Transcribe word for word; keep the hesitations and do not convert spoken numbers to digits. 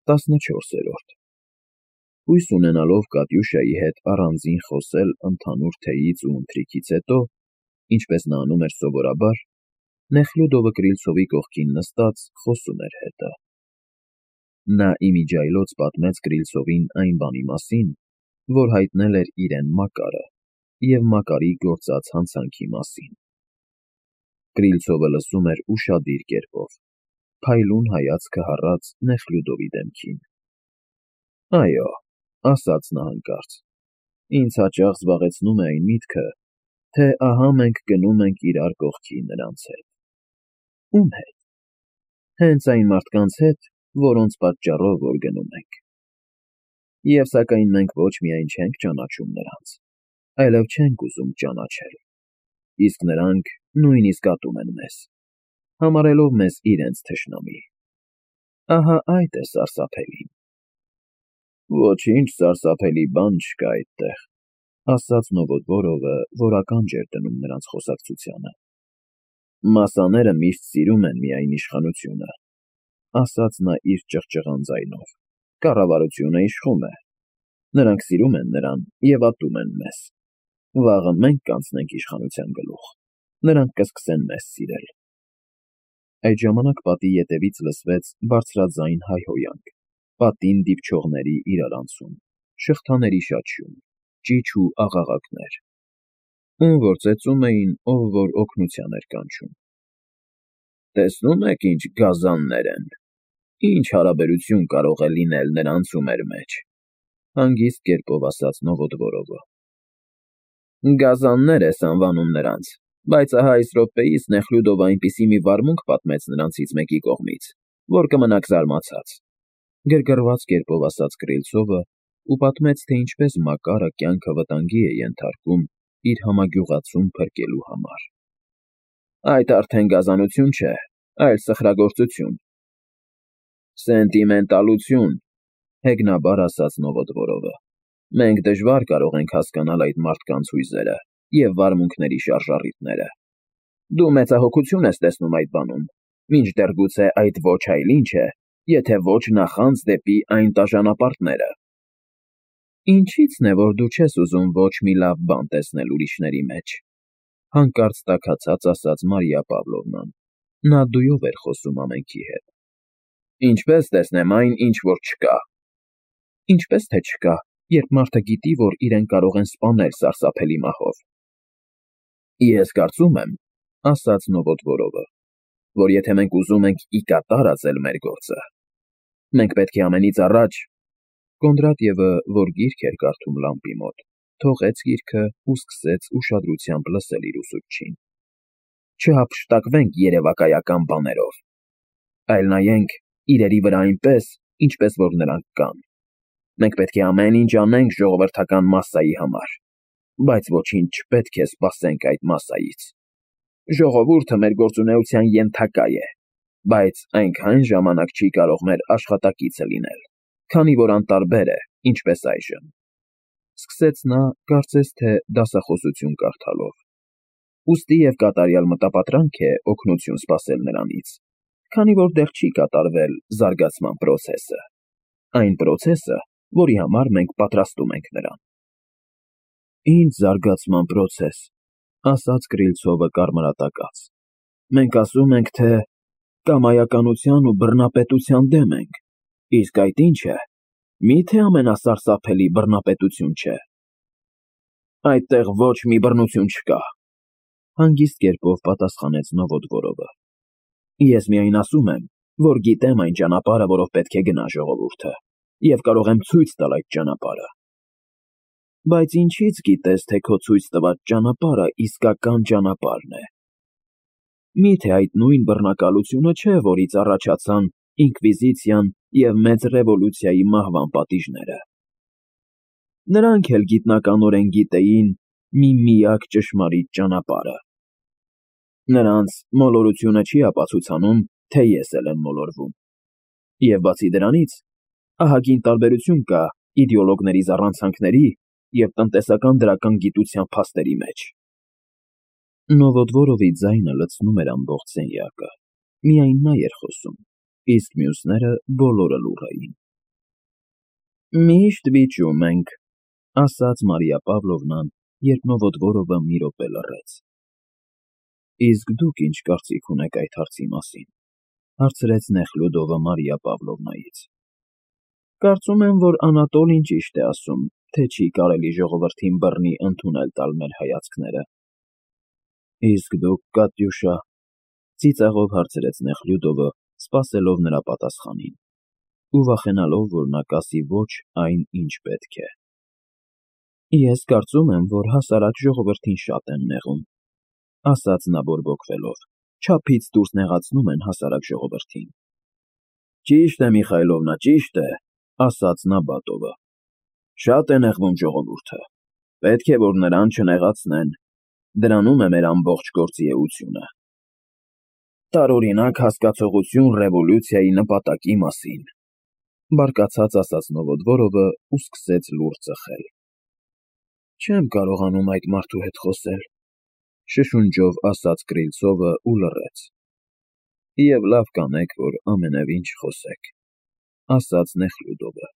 տասնչորսերորդ Հույս ունենալով Կատյուշայի հետ առանձին խոսել ընդհանուր թեյից ու ընթրիքից հետո, ինչպես նա անում էր սովորաբար, Նեխլյուդովը Կրիլցովի կողքին նստած խոսում էր հետը. Նա իմիջիայլոց պատմեց Կրիլցովին այն բանի մասին, որ հայտնել էր իրեն Մակարը, և Մակարի գործած հանցանքի մասին։ Կրիլցովը լսում էր ուշադիր կերպով, փայլուն հայացքը հառած Նեխլյուդովի դեմքին։ Այո, ասաց նա հանկարծ, ինձ հաճախ զբաղեցնում է այն միտքը, թե ահա մենք գնում ենք իրար կողքի նրանց հետ։ Ում հետ։ Հենց այն մարդկանց հետ, որոնց պատճառով որ գնում ենք։ Եվ սակայն մենք ոչ միայն չենք ճանաչում նրանց, այլև չենք ուզում ճանաչել, իսկ նրանք նույնիսկ ատում են մեզ, համարելով մեզ իրենց թշնամի։ Ահա այդ է սարսափելին։ Ոչինչ սարսափելի բան չկա այդտեղ, ասաց Նովոդվորովը, որ ականջ էր դնում նրանց խոսակցությանը։ Մասաները միշտ սիրում են միայն իշխանությունը, ասաց նա իր ճղճղան ձայնով, կառավարությունը իշխում է, նրանք սիրում են նրան և ատում են մեզ, վաղը մենք կանցնենք իշխանության գլուխ, նրանք կսկսեն մեզ սիրել։ Այդ ժամանակ պատի ետևից լսվեց բարձրաձայն հայհոյանք, պատին դիպչողների իրարանցում, շղթաների շաչյուն, ճիչ ու աղաղակներ, ում որ ծեծում էին, ով որ օգնության էր կանչում։ Տեսնում եք ինչ գազաններ են, ինչ հարաբերություն կարող է լինել նրանց ու մեր մեջ, հանգիստ կերպով ասաց Նովոդվորովը։ Գազաններ ես անվանում նրանց, բայց ահա այս րոպեիս Նեխլյուդովը այնպիսի մի վարմունք պատմեց նրանցից մեկի կողմից, որ կմնաք զարմացած, գրգռված կերպով ասաց Կրիլցովը ու պատմեց, թե ինչպես Մակարը կյանքը վտանգի է ենթարկում իր համագյուղացուն փրկելու համար։ Այդ արդեն գազանություն չէ, այլ սխրագործություն։ Սենտիմենտալություն, հեգնաբար ասաց Նովոդվորովը։ Մենք դժվար կարող ենք հասկանալ այդ մարդկանց հույզերը և վարմունքների շարժառիթները։ Դու մեծահոգություն ես տեսնում այդ բանում, մինչդեռ գուցե այդ ոչ այլ ինչ է, եթե ոչ նախանձ դեպի այն տաժանապարտները։ Ինչի՞ցն է, որ դու չես ուզում ոչ մի լավ բան տեսնել ուրիշների մեջ, հանկարծ տաքացած ասաց Մարիա Պավլովնան, նա դույով էր խոսում ամենքի հետ։ Ինչպես տեսնեմ այն, ինչ որ չկա։ Ինչպես թե չկա, երբ մարդը գիտի, որ իրեն կարող են սպանել սարսափելի մահով։ Ես կարծում եմ, ասաց Նովոդվորովը, որ եթե մենք ուզում ենք ի կատար աձել մեր գործը, մենք պետք է ամենից առաջ… Կոնդրատյևը, որ գիրք էր կարդում լամպի մոտ, թողեց գիրքը ու սկսեց ուշադրությամբ լսել իր ուսուցչին։ Չհափշտակվենք երևակայական բաներով, այլ նայենք իրերի վրա այնպես, ինչպես որ նրանք կան։ Մենք պետք է ամեն ինչ անենք ժողովրդական մասսայի համար, բայց ոչինչ չպետք է սպասենք այդ մասսայից։ Ժողովուրդը մեր գործունեության ենթակա է, բայց այնքան ժամանակ չի կարող մեր աշխատակիցը լինել, քանի որ անտարբեր է, ինչպես այժմ։ Սկսեց նա, կարծես թե դասախոսություն կարդալով։ Ուստի և կատարյալ մտապատրանք է օգնություն սպասել նրանից, քանի որ դեռ չի կատարվել զարգացման պրոցեսը, այն պրոցեսը, որի համար մենք պատրաստում ենք նրան։ Ինչ զարգացման պրոցես, ասաց Կրիլցովը կարմրատակած։ Մենք ասում ենք, թե կամայականության ու բռնապետության դեմ ենք, իսկ այդ ինչ է, մի՞թե ամենասարսափելի բռնապետություն չէ։ Այդտեղ ոչ մի բռնություն չկա, հանգիստ կերպով պատասխանեց Նովոդվորովը։ Ես միայն ասում եմ, որ գիտեմ այն ճանապարհը, որով պետք է գնա ժողովուրդը, և կարող եմ ցույց տալ այդ ճանապարհը։ Բայց ինչի՞ց գիտես, թե քո ցույց տված ճանապարհը իսկական ճանապարհն է։ Մի՞թե այդ նույն բռնակալությունը չէ, որից առաջացան ինկվիզիցիան և մեծ ռևոլյուցիայի մահվան պատիժները։ Նրանք էլ գիտնականորեն գիտեին մի միակ ճշմարիտ ճանապարհը։ Նրանց մոլորությունը չի ապացուցանում, թե ես էլ եմ մոլորվում։ Եվ բացի դրանից, ահագին տարբերություն կա իդեոլոգների զառանցանքների և տնտեսական դրական գիտության փաստերի մեջ։ Նովոդվորովի ձայնը լցնում էր ամբողջ սենյակը, միայն նա էր խոսում, իսկ մյուսները բոլորը լուռ էին։ Միշտ վիճում ենք, ասաց Մարիա Պավլովնան, երբ Նովոդվորովը մի րոպե լռեց։ Իսկ դուք ինչ կարծիք ունեք այդ հարցի մասին, հարցրեց Նեխլյուդովը Մարիա Պավլովնայից։ Կարծում եմ, որ Անատոլին ճիշտ է ասում, թե չի կարելի ժողովրդին բռնի ընդունել տալ մեր հայացքները։ Իսկ դուք, Կատյուշա, ծիծաղով հարցրեց Նեխլյուդովը, սպասելով նրա պատասխանին, ու վախենալով, որ նա կասի ոչ այն, ինչ պետք է։ Ես կարծում եմ, որ հասարակ ժողովրդին շատ են նեղում, ասաց նա բորբոքվելով, չափից դուրս նեղացնում են հասարակ ժողովրդին։ Ճիշտ է, Միխայլովնա, ճիշտ է, ասաց Նաբատովը։ Շատ է նեղվում ժողովուրդը։ Պետք է, որ նրան չնեղացնեն։ Դրանում է մեր ամբողջ գործի էությունը։ Տարօրինակ հասկացողություն ռևոլյուցիայի նպատակի մասին, բարկացած ասաց Նովոդվորովը ու սկսեց լուռ ծխել։ Չեմ կարողանում այդ մարդու հետ խոսել, շշունջով ասաց Կրիլցովը ու լռեց։ Եվ լավ կանեք, որ ամենևին չխոսեք, ասաց Նեխլյուդովը։